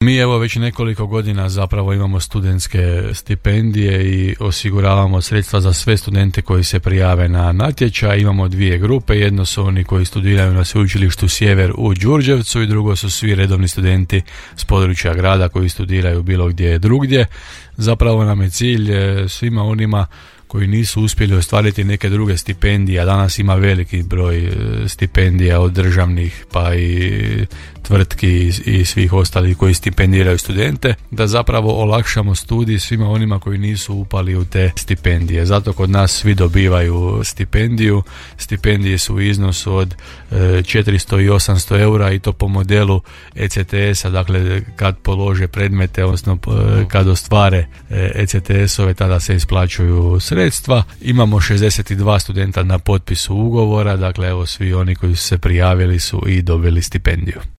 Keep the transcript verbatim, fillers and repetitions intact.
Mi evo već nekoliko godina zapravo imamo studentske stipendije i osiguravamo sredstva za sve studente koji se prijave na natječaj. Imamo dvije grupe, jedno su oni koji studiraju na sveučilištu Sjever u Đurđevcu i drugo su svi redovni studenti s područja grada koji studiraju bilo gdje drugdje. Zapravo nam je cilj svima onima koji nisu uspjeli ostvariti neke druge stipendije, a danas ima veliki broj stipendija od državnih pa i tvrtki i svih ostalih koji stipendiraju studente, da zapravo olakšamo studij svima onima koji nisu upali u te stipendije. Zato kod nas svi dobivaju stipendiju. Stipendije su u iznosu od četiristo i osamsto eura i to po modelu E C T S-a, dakle kad polože predmete, odnosno kad ostvare E C T S-ove, tada se isplaćuju sredstva. Imamo šezdeset dva studenta na potpisu ugovora, dakle evo svi oni koji su se prijavili su i dobili stipendiju.